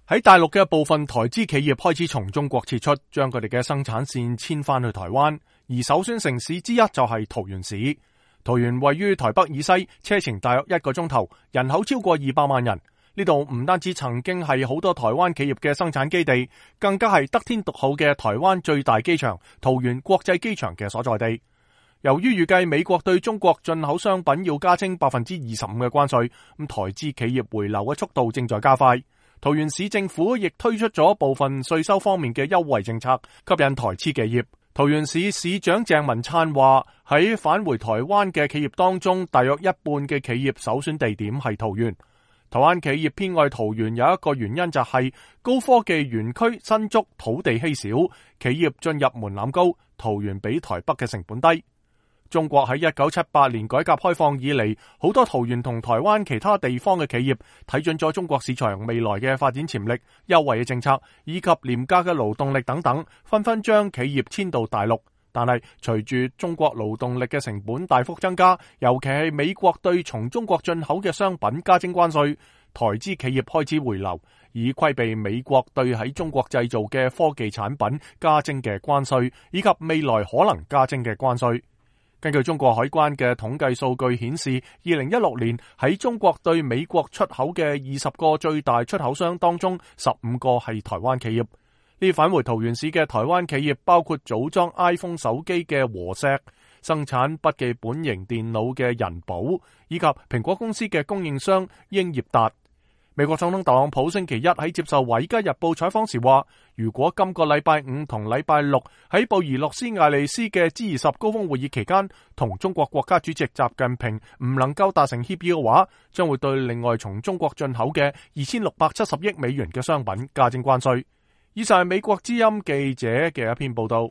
喺大陸嘅部分台資企業開始從中國撤出，將佢哋嘅生產線遷翻去台灣，而首選城市之一就係桃園市。桃園位於台北以西，車程大約1個鐘頭，人口超過200萬人。呢度唔單止曾經係好多台灣企業嘅生產基地，更加係得天獨厚嘅台灣最大機場桃園國際機場嘅所在地。由於預計美國對中國進口商品要加徵25%嘅關稅，咁台資企業回流嘅速度正在加快。桃園市政府亦推出咗部分稅收方面嘅優惠政策，吸引台資企業。桃園市市長鄭文燦話：喺返回台灣嘅企業當中，大約一半嘅企業首選地點係桃園。台灣企業偏愛桃園有一個原因就係高科技園區新築，土地稀少，企業進入門檻高，桃園比台北嘅成本低。中國喺1978年改革開放以嚟，好多桃園同台灣其他地方嘅企業睇準咗中國市場未來嘅發展潛力、優惠嘅政策以及廉價嘅勞動力等等，紛紛將企業遷到大陸。但係隨住中國勞動力嘅成本大幅增加，尤其係美國對從中國進口嘅商品加徵關稅，台資企業開始回流，以規避美國對喺中國製造嘅科技產品加徵嘅關稅，以及未來可能加徵嘅關稅。根據中國海關嘅統計數據顯示，2016年喺中國對美國出口嘅20個最大出口商當中，15個係台灣企業。呢返回桃園市嘅台灣企業包括組裝 iPhone 手機嘅和碩、生產筆記本型電腦嘅仁寶，以及蘋果公司嘅供應商英業達。美國總統特朗普星期一喺接受《華爾街日報》採訪時話，如果今個禮拜五同禮拜六喺布宜諾斯艾利斯嘅 G20 高峰會議期間，同中國國家主席習近平唔能夠達成協議嘅話，將會對另外從中國進口嘅2670億美元嘅商品加徵關稅。以上係美國之音記者嘅一篇報道。